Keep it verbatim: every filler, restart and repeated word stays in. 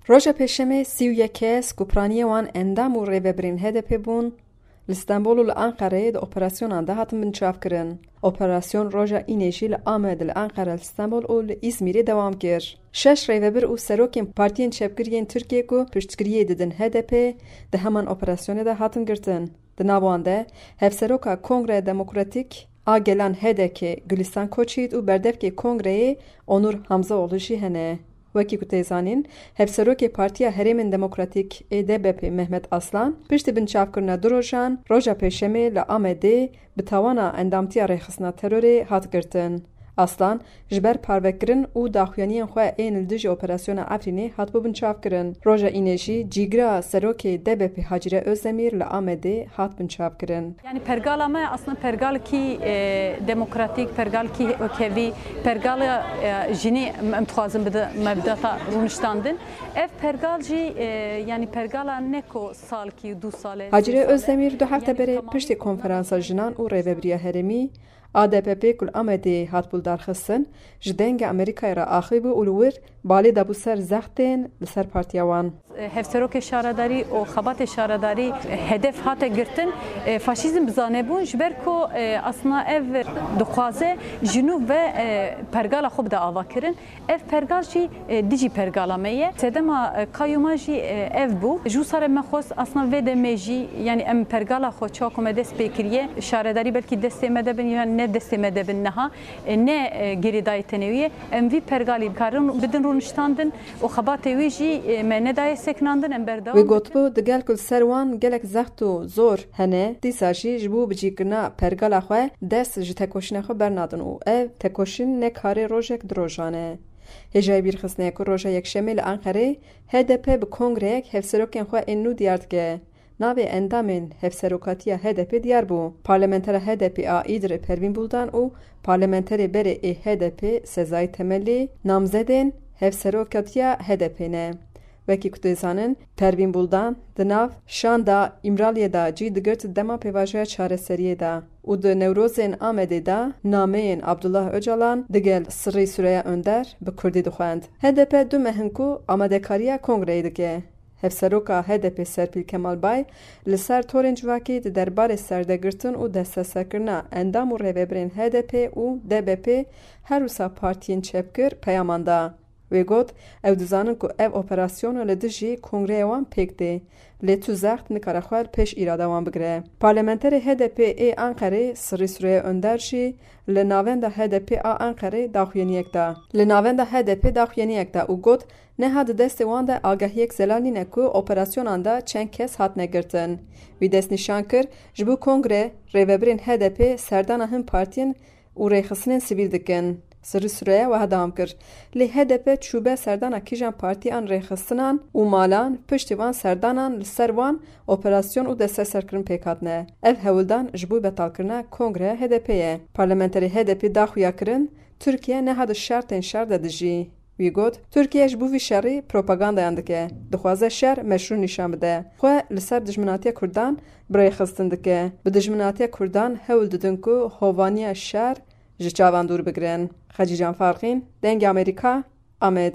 Roja Pêşemê sî û yek kes ku piraniyê wan endam û rêvebirên H D P bûn, li Stenbol û li Anqereyê di operasyonan de hatin binçavkirin. Operasyon roja Înê jî li Amed, li Anqere, li Stenbol û li Îzmîrê dewam kir. Şeş rêvebir û serokên partiyên çepgir yên Tirkiyê ku piştgiriyê didin H D P di heman operasyonê de hatin girtin. Di nav wan de hevseroka Kongreya Demokratîk a Gelan H D K Gulistan Koçyiğit û berdevkê Kongreyê Onur Hamzaoğlu jî hene. Wekî ku tê zanîn, hevserokê Partiya Herêmên Demokratîk ê D B P Mehmet Aslan piştî binçavkirina du rojan, roja Pêşemê li Amedê bi tawana endamtiya rêxistina terorê hat girtin. Aslan ji ber parvekirin û daxuyaniyên xwe ên li dijî operasyona Efrînê hatibû binçavkirin. Roja Înê jî cîgira serokê D B P Hacire Özdemir li Amedê hat binçavkirin. Yani pergala me aslında pergalekî, e, demokratîk, pergalekî wekevî, pergala, e, jinî em, em dixwazin bide mebdata rûniştandin. Ev pergal jî, e, yani pergala ne ku salkî û du sal e, Hacire sê sal e. Özdemir du hefte Yani berê tamamî piştî konferansa jinan û rêvebiriya herêmî A D P P ku li Amedê hatibû lidarxistin, ji Dengê Amerîkayê re axivîbû û li wir balê dabû ser zextên li ser partiya wan. Hevserokê şaredarî û xebatê şaredarî hedef hate girtin. E, faşîzm bizane bûn, ji ber ku, e, aslında ev dixwaze ji nû ve, e, pergala xwe bide ava kirin. Ev pergal jî, e, dijî pergala me ye. Sedema, e, kayûma jî, e, ev bû. Ji wisa re me xwest aslında vê demê jî, yani em pergala xwe çawa ku me dest pê kiriye, şaredarî belkî destê me de bin yan ne destê me de bin niha, e, ne, e, girêdayî tenê wî ye. Em vî pergalî karin bidin rûniştandin û xebatê wî jî, e, me nedaye sekinandin, em berdewam Wê dikin. Gotibû, digel ku li ser wan gelek zext û zor hene, dîsa jî ji bo bicîkirina pergala xwe dest ji tekoşîna xwe bernadin û ev tekoşîn ne karê rojek du rojan e. Hêjayî bîrxistinê ye ku roja Yekşemê li Anqerê H D P bi kongreyek hevserokên xwe ên nû diyar dike. Navê endamên hevserokatiya H D P diyar bû. Parlamentera H D P a Îdirê Pervîn Buldan û parlamenterê berê ê H D P Sezai Temelli namzedên hevserokatiya H D P ne. Wekî ku tê zanin, Pervîn Buldan di nav şanda Îmraliyê de cî digirt dema pêvajoya çareseriyê de û di Newrozên Amedê de nameyên Abdullah Ocalan digel Sirrî Süreyya Önder bi kurdî dixwend. H D P du meh in ku amadekariya kongreyê dike. Hevseroka H D P Serpîl Kemal Bay li ser torên civakî di derbarê serdegirtin û desteserkirina endam û rêvebirên H D P û D B P her wisa partiyên çepgir peyaman da. Wê got, ew dizanin ku ev operasyona li dijî kongreyê wan pêk tê, lê tu zext nikare xwe li pêş îrada wan bigire. Parlamenterê H D P ê Anqerê Sirrî Süreyya Önder jî li navenda H D P a Anqerê daxuyaniyek da. Li navenda H D P daxuyaniyek da û got, Neha di destê wan de agahiyek zelal nîne ku operasyonan de çend kes hatine girtin. Wî destnîşan kir, ji bo kongre, rêvebirên H D P serdana hin partiyên û rêxistinên sivîl dikin. Sirrî Süreyya wiha dewam kir, Lê H D P çûbe serdana kîjan partî an rêxistinan û malan, piştî van serdanan li ser wan operasyon û desteserkirin pêk hatine. Ev hewldan ji bo betalkirina kongreya H D P ye. Parlamenterê H D P da xuya kirin, Tirkiye neha di şertên şer de dijî. Wî got, Tirkiye ji bo vî şerî propagandayan dike. Dixwaze şer meşrû nîşan bide. Xwe li ser dijminatiya Kurdan bi rêxistin dike. Bi dijminatiya Kurdan hewl didin ku hovaniya şer ji çavan dûr bigirin. Xecîcan Farqîn, Dengê Amerîka, Amed.